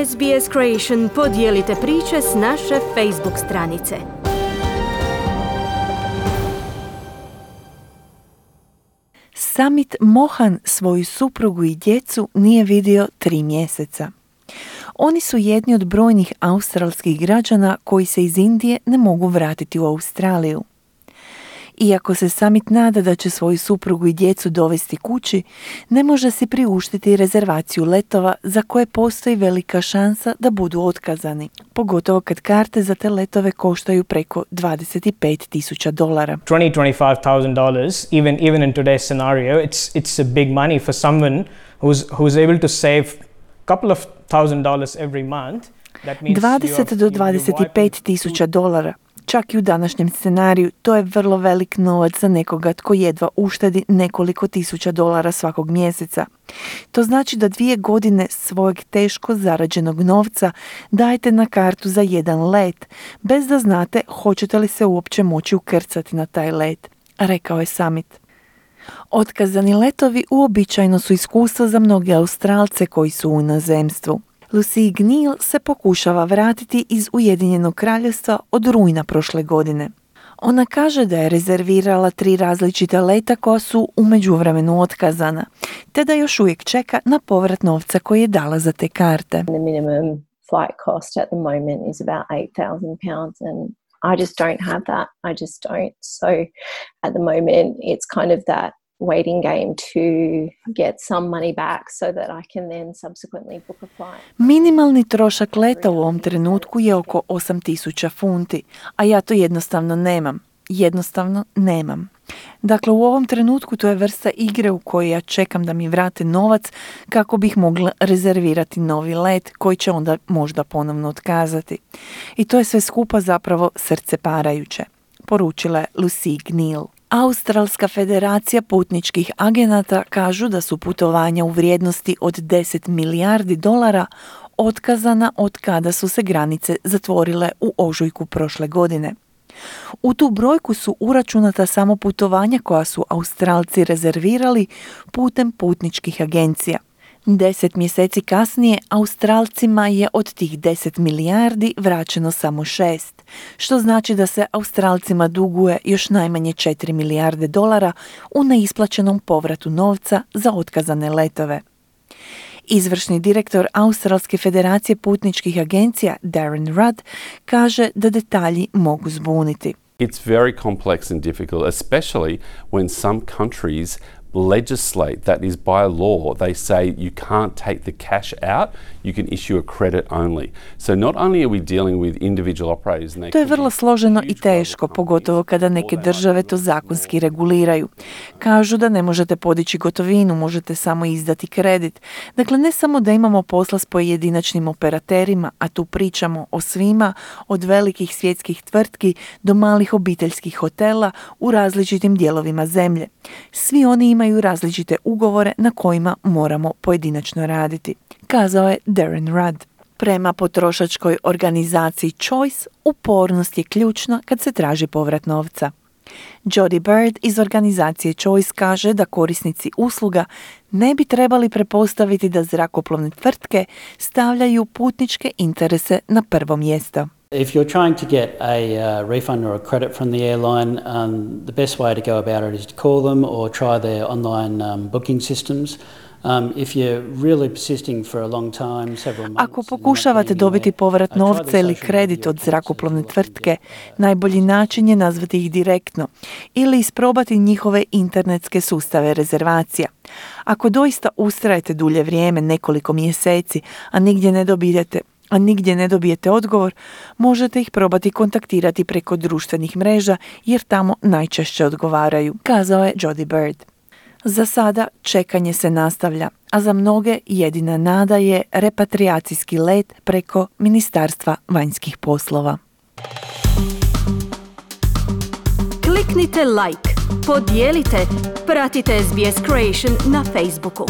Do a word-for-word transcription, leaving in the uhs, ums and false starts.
S B S Creation podijelite priče s naše Facebook stranice. Samit Mohan svoju suprugu i djecu nije vidio tri mjeseca. Oni su jedni od brojnih australskih građana koji se iz Indije ne mogu vratiti u Australiju. Iako se Samit nada da će svoju suprugu i djecu dovesti kući, ne može si priuštiti rezervaciju letova za koje postoji velika šansa da budu otkazani, pogotovo kad karte za te letove koštaju preko dvadeset pet tisuća dolara. twenty to twenty-five thousand dollars, even even in today's scenario, it's it's a big money for someone who's who's able to save a couple of thousand dollars every month. dvadeset do dvadeset pet tisuća dolara. Čak i u današnjem scenariju to je vrlo velik novac za nekoga tko jedva uštedi nekoliko tisuća dolara svakog mjeseca. To znači da dvije godine svojeg teško zarađenog novca dajete na kartu za jedan let, bez da znate hoćete li se uopće moći ukrcati na taj let, rekao je Samit. Otkazani letovi uobičajeno su iskustvo za mnoge Australce koji su u inozemstvu. Lucy Gnil se pokušava vratiti iz Ujedinjenog kraljevstva od rujna prošle godine. Ona kaže da je rezervirala tri različita leta koja su u međuvremenu otkazana, te da još uvijek čeka na povrat novca koji je dala za te karte. The minimum flight cost at the moment is about eight thousand pounds and I just don't have that. I just don't. So at the moment it's kind of that waiting game to get some money back so that I can then subsequently book a flight. Minimalni trošak leta u ovom trenutku je oko osam tisuća funti, a ja to jednostavno nemam. Jednostavno nemam. Dakle, u ovom trenutku to je vrsta igre u kojoj ja čekam da mi vrate novac kako bih mogla rezervirati novi let koji će onda možda ponovno otkazati. I to je sve skupa zapravo srceparajuće, poručila je Lucy Gnil. Australska federacija putničkih agenata kažu da su putovanja u vrijednosti od deset milijardi dolara otkazana od kada su se granice zatvorile u ožujku prošle godine. U tu brojku su uračunata samo putovanja koja su Australci rezervirali putem putničkih agencija. Deset mjeseci kasnije Australcima je od tih deset milijardi vraćeno samo šest, što znači da se Australcima duguje još najmanje četiri milijarde dolara u neisplaćenom povratu novca za otkazane letove. Izvršni direktor Australske federacije putničkih agencija Darren Rudd kaže da detalji mogu zbuniti. It's very complex and difficult, especially when some countries legislate that is by law. They say you can't take the cash out, you can issue a credit only. So not only are we dealing with individual operators and they To je vrlo složeno i teško, pogotovo kada neke države to zakonski reguliraju. Kažu da ne možete podići gotovinu, možete samo izdati kredit. Dakle, ne samo da imamo posla s pojedinačnim operaterima, a tu pričamo o svima, od velikih svjetskih tvrtki do malih obiteljskih hotela u različitim dijelovima zemlje. Svi oni imaju različite ugovore na kojima moramo pojedinačno raditi, kazao je Darren Rudd. Prema potrošačkoj organizaciji Choice, upornost je ključna kad se traži povrat novca. Jody Bird iz organizacije Choice kaže da korisnici usluga ne bi trebali prepostaviti da zrakoplovne tvrtke stavljaju putničke interese na prvo mjesto. If you're trying to get a uh, refund or a credit from the airline, um, the best way to go about it is to call them or try their online um, booking systems. Um, if you're really persisting for a long time, several months. Ako pokušavate dobiti povrat novca ili kredit od zrakoplovne tvrtke, najbolji način je nazvati ih direktno ili isprobati njihove internetske sustave rezervacija. Ako doista ustrajete dulje vrijeme, nekoliko mjeseci, a nigdje ne dobijete a nigdje ne dobijete odgovor, možete ih probati kontaktirati preko društvenih mreža jer tamo najčešće odgovaraju, kazao je Jody Bird. Za sada čekanje se nastavlja, a za mnoge jedina nada je repatriacijski let preko Ministarstva vanjskih poslova. Kliknite like, podijelite, pratite S B S Creation na Facebooku.